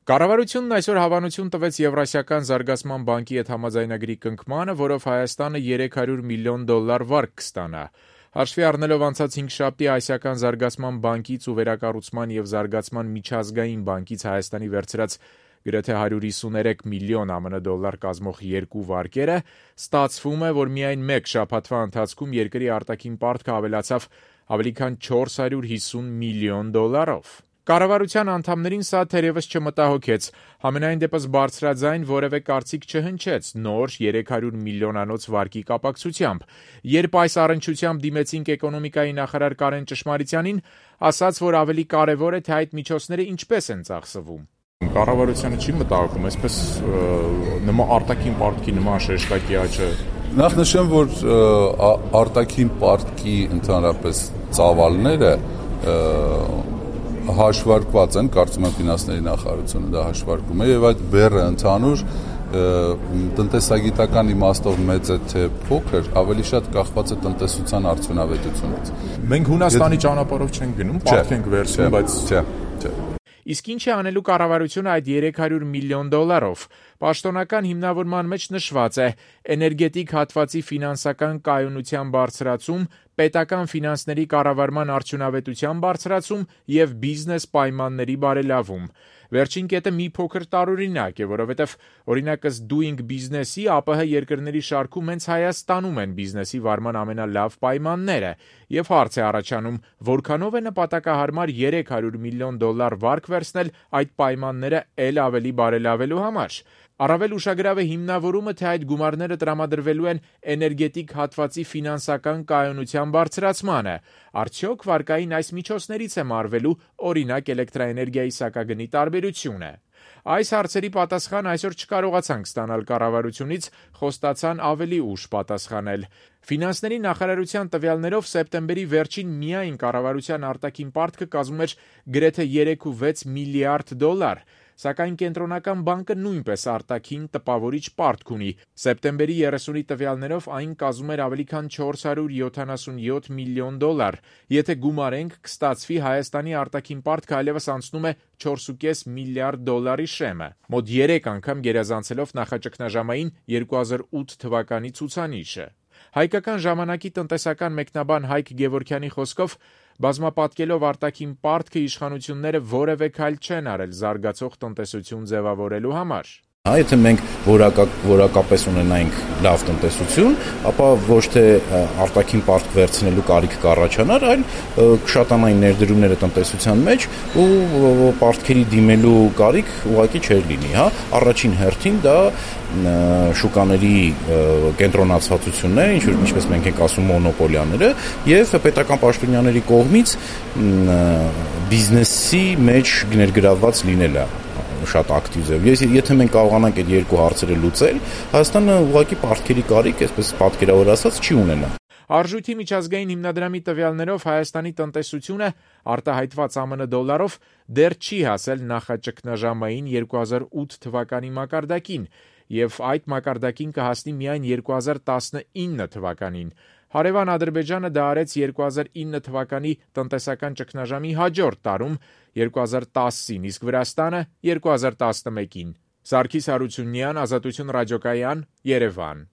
Կառավարությունն այսօր հավանություն տվեց Եվրասիական զարգացման բանկի հետ համաձայնագրի կնքմանը, որով Հայաստանը $300 միլիոն վարկ կստանա։ Հաշվի առնելով անցած 5 Ասիական զարգացման բանկից ու վերակառուցման և զարգացման միջազգային բանկից Հայաստանի վերցրած գրեթե $153 միլիոն ԱՄՆ կազմող երկու վարկերը, ստացվում է, որ միայն մեկ շաբաթվա ընթացքում երկրի արտաքին պարտքը ավելացավ ավելի քան $450 միլիոն։ Կառավարության անդամներին սա թերևս չմտահոգեց, համենայն դեպս բարձրաձայն որևէ կարծիք չհնչեց նոր $300 միլիոնանոց վարկի կապակցությամբ, երբ այս առնչությամբ դիմեցինք էկոնոմիկայի նախարար Կարեն Ճշմարիտյանին, ասաց, որ ավելի կարևոր է, թե այդ միջոցները ինչպես են ծախսվում։ Կառավարությանը չի մտահոգում, այսպես արտաքին պարտքի նման շեշտակի աճը։ Նախ նշեմ, որ արտաքին պարտքի ընդհանրապես ծավալները հաշվարկված են, կարծում եմ ֆինանսների նախարարությունը դա հաշվարկում է, եւ այդ բեռը ընդհանուր տնտեսագիտական իմաստով մեծ է թե փոքր, ավելի շատ կախված է տնտեսության արդյունավետությունից։ Մենք Հունաստանի ճանապարհով չենք գնում, պարտք ենք վերցնում, բայց չէ։ Իսկ ինչ է անելու կառավարությունը այդ $300 միլիոն։ Պաշտոնական հիմնավորման մեջ նշված է էներգետիկ հատվածի ֆինանսական կայունության բարձրացում, պետական ֆինանսների կառավարման արդյունավետության բարձրացում և բիզնես պայմանների բարելավում։ Վերջին կետը մի փոքր տարօրինակ է, որովհետև օրինակ ըստ Doing Business-ի ԱՊՀ երկրների շարքում հենց Հայաստանում են բիզնեսի վարման ամենալավ պայմանները, եւ հարց է առաջանում, որքանով է նպատակահարմար $300 միլիոն վարկ վերցնել այդ պայմանները էլ ավելի բարելավելու համար։ Առավել ուշագրավ է հիմնավորումը, թե այդ գումարները տրամադրվելու են էներգետիկ հատվածի ֆինանսական կայունության բարձրացմանը։ Արդյոք վարկային այս միջոցներից է մարվելու օրինակ էլեկտրաէներգիայի սակագնի տարբերությունը։ Այս հարցերի պատասխան այսօր չկարողացանք ստանալ կառավարությունից, խոստացան ավելի ուշ պատասխանել։ Ֆինանսների նախարարության տվյալներով սեպտեմբերի վերջին միայն կառավարության արտաքին պարտքը կազմում էր գրեթե $3.6 միլիարդ, սակայն Կենտրոնական բանկը նույնպես արտաքին տպավորիչ պարտք ունի։ Սեպտեմբերի 30-ի տվյալներով այն կազմում էր ավելի քան $477 միլիոն։ Եթե գումարենք, կստացվի Հայաստանի արտաքին պարտքը այլևս անցնում է $4.5 միլիարդ շեմը, մոտ 3 անգամ գերազանցելով նախաճգնաժամային 2008 թվականի ցուցանիշը։ Հայկական ժամանակի տնտեսական մեկնաբան Հայկ Գևորգյանի խոսքով, բազմապատկելով արտաքին պարտքը, իշխանությունները որևէ քայլ չեն արել զարգացող տնտեսություն ձևավորելու համար։ Եթե մենք որակապես ունենայինք լավ տնտեսություն, ապա ոչ թե արտաքին պարտք վերցնելու կարիք կառաջանար, այլ կշատանային ներդրումները տնտեսության մեջ ու պարտքերի դիմելու կարիք ուղղակի չէր լինի, հա։ Առաջին հերթին դա շուկաների կենտրոնացվածությունն է, ինչպես մենք ենք ասում մոնոպոլիաները, եւ պետական պաշտոնյաների կողմից բիզնեսի մեջ ներգրավված լինելը շատ ակտիվ է։ Եթե մենք կարողանանք այդ երկու հարցերը լուծել, Հայաստանը ուղղակի պարտքերի կարիք, այսպես պատկերավոր ասած, չի ունենա։ Արժույթի միջազգային հիմնադրամի տվյալներով Հայաստանի տնտեսությունը արտահայտված ԱՄՆ դոլարով դեռ չի հասել նախաճգնաժամային 2008 թվականի մակարդակին, եւ այդ մակարդակին կհասնի միայն 2019 թվականին։ Հարևան Ադրբեջանը դա արեց 2009 թվականի տնտեսական ճգնաժամի հաջորդ տարում 2010-ին, իսկ Վրաստանը 2011-ին։ Սարգիս Հարությունյան, Ազատություն ռադիոկայան, Երևան։